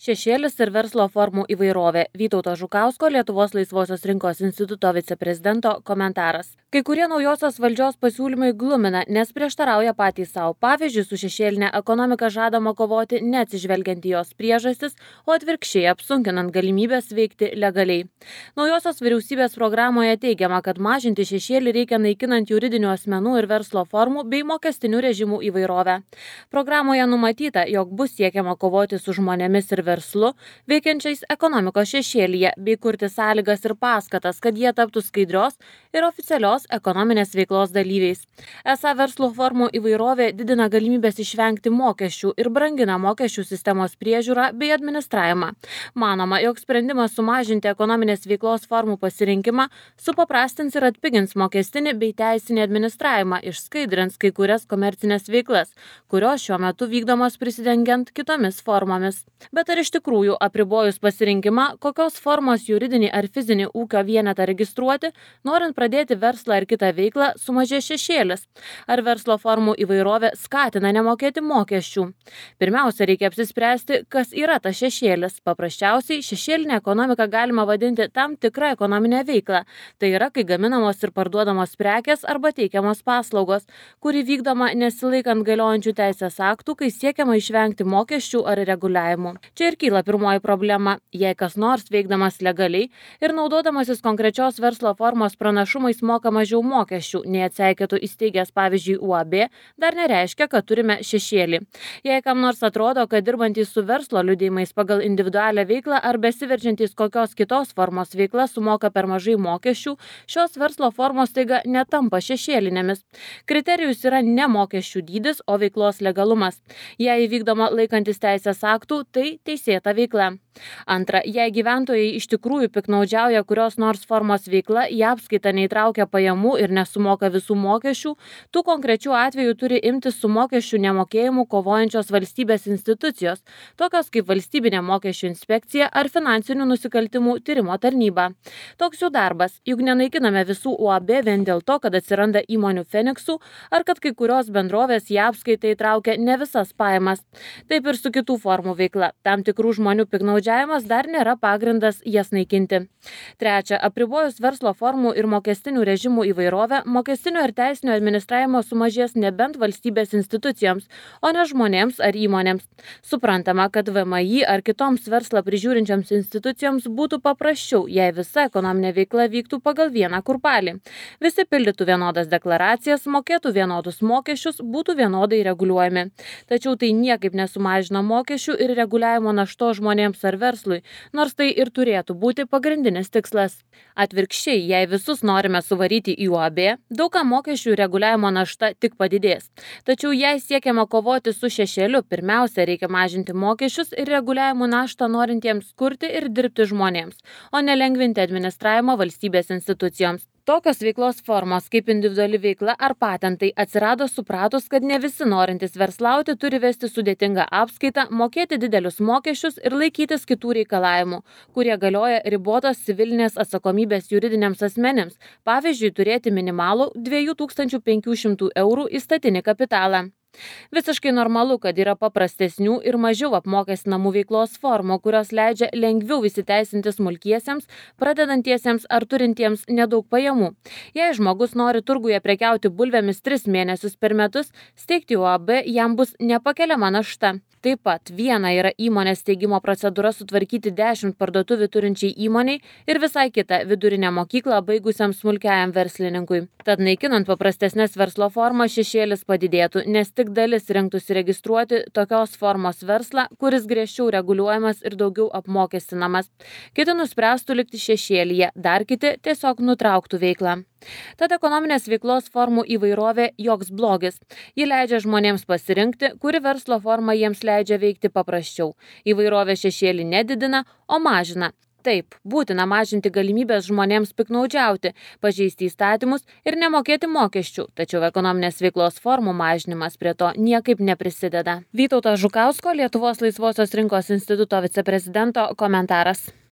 Šešėlis ir verslo formų įvairovė. Vytauto Žukausko, Lietuvos laisvosios rinkos instituto viceprezidento komentaras. Kai kurie naujosios valdžios pasiūlymai glumina, nes prieštarauja patys savo. Pavyzdžiui, su šešėlinė ekonomika žadama kovoti neatsižvelgiant į jos priežastis, o atvirkščiai apsunkinant galimybės veikti legaliai. Naujosios vyriausybės programoje teigiama, kad mažinti šešėlį reikia naikinant juridinių asmenų ir verslo formų bei mokestinių režimų įvairovę. Programoje numatyta, jog bus siekiama kovoti su žmonėmis ir verslu, veikiančiais ekonomikos šešėlyje, bei kurti sąlygas ir paskatas, kad jie taptų skaidrios ir oficialios ekonominės veiklos dalyviais. Esą verslo formų įvairovė didina galimybės išvengti mokesčių ir brangina mokesčių sistemos priežiūrą bei administravimą. Manoma, jog sprendimas sumažinti ekonominės veiklos formų pasirinkimą supaprastins ir atpigins mokestinį bei teisinį administravimą, išskaidrins kai kurias komercinės veiklas, kurios šiuo metu vykdomos prisidengiant kitomis formomis. Bet ar iš tikrųjų apribojus pasirinkimą, kokios formos juridinį ar fizinį ūkio vienetą registruoti, norint pradėti verslą ar kitą veiklą, sumažės šešėlis? Ar verslo formų įvairovė skatina nemokėti mokesčių? Pirmiausia, reikia apsispręsti, kas yra tas šešėlis. Paprasčiausiai, šešėlinę ekonomiką galima vadinti tam tikrą ekonominę veiklą. Tai yra, kai gaminamos ir parduodamos prekės arba teikiamos paslaugos, kuri vykdoma nesilaikant galiojančių teisės aktų, kai siekiama išvengti mokesčių ar reguliavimų. Čia ir kyla pirmoji problema. Jei kas nors veikdamas legaliai ir naudodamasis konkrečios verslo formos pranašumais moka mažiau mokesčių, nei atseikėtų įsteigęs pavyzdžiui UAB, dar nereiškia, kad turime šešėlį. Jei kam nors atrodo, kad dirbantys su verslo liudijimais pagal individualią veiklą ar besiverčiantys kokios kitos formos veikla sumoka per mažai mokesčių, šios verslo formos taiga netampa šešėlinėmis. Kriterijus yra ne mokesčių dydis, o veiklos legalumas. Jei įvykdoma laikantis teisės aktų, tai teisėta veikla. Antra, jei gyventojai iš tikrųjų piknaudžiauja kurios nors formos veikla, į apskaitą neįtraukia pajamų ir nesumoka visų mokesčių, tų konkrečių atvejų turi imtis su mokesčių nemokėjimu kovojančios valstybės institucijos, tokios kaip valstybinė mokesčių inspekcija ar finansinių nusikaltimų tyrimo tarnyba. Toks jų darbas, juk nenaikiname visų UAB vien dėl to, kad atsiranda įmonių Feniksų ar kad kai kurios bendrovės į apskaitą įtraukia ne visas pajamas. Taip ir su kitų formų veikla. Tam tikrų žmonių piknaudžiavimas dar nėra pagrindas jas naikinti. Trečia, apribojus verslo formų ir mokestinių režimų įvairovę, mokestinio ir teisinio administravimo sumažės nebent valstybės institucijoms, o ne žmonėms ar įmonėms. Suprantama, kad VMI ar kitoms verslą prižiūrinčioms institucijoms būtų paprasčiau, jei visa ekonominė veikla vyktų pagal vieną kurpalį. Visi pildytų vienodas deklaracijas, mokėtų vienodus mokesčius, būtų vienodai reguliuojami. Tačiau tai niekaip nesumažina mokesčių ir reguliavimo našto žmonėms ar verslui, nors tai ir turėtų būti pagrindinis tikslas. Atvirkščiai, jei visus norime suvaryti į UAB, daugam mokesčių reguliavimo našta tik padidės. Tačiau jei siekiama kovoti su šešėliu, pirmiausia reikia mažinti mokesčius ir reguliavimo naštą norintiems kurti ir dirbti žmonėms, o ne lengvinti administravimą valstybės institucijoms. Tokios veiklos formos kaip individuali veikla ar patentai atsirado supratus, kad ne visi norintys verslauti turi vesti sudėtingą apskaitą, mokėti didelius mokesčius ir laikytis kitų reikalavimų, kurie galioja ribotos civilinės atsakomybės juridiniams asmenims, pavyzdžiui, turėti minimalų 2500 eurų įstatinį kapitalą. Visiškai normalu, kad yra paprastesnių ir mažiau apmokestinamų veiklos formų, kurios leidžia lengviau įsiteisinti smulkiesiems, pradedantiesiems ar turintiems nedaug pajamų. Jei žmogus nori turguje prekiauti bulvėmis 3 mėnesius per metus, steigti UAB jam bus nepakeliama našta. Taip pat viena yra įmonės steigimo procedūra sutvarkyti 10 parduotuvių turinčiai įmoniai ir visai kita vidurinę mokyklą baigusiam smulkiajam verslininkui. Tad naikinant paprastesnės verslo formas šešėlis padidėtų, nes tik dalis rinktųsi registruoti tokios formos verslą, kuris griežčiau reguliuojamas ir daugiau apmokestinamas. Kiti nuspręstų likti šešėlyje, dar kiti tiesiog nutrauktų veiklą. Tad ekonominės veiklos formų įvairovė joks blogis. Ji leidžia žmonėms pasirinkti, kuri verslo forma jiems leidžia veikti paprasčiau. Įvairovė šešėlį nedidina, o mažina. Taip, būtina mažinti galimybės žmonėms piknaudžiauti, pažeisti įstatymus ir nemokėti mokesčių, tačiau ekonominės veiklos formų mažinimas prie to niekaip neprisideda. Vytauto Žukausko, Lietuvos laisvosios rinkos instituto viceprezidento komentaras.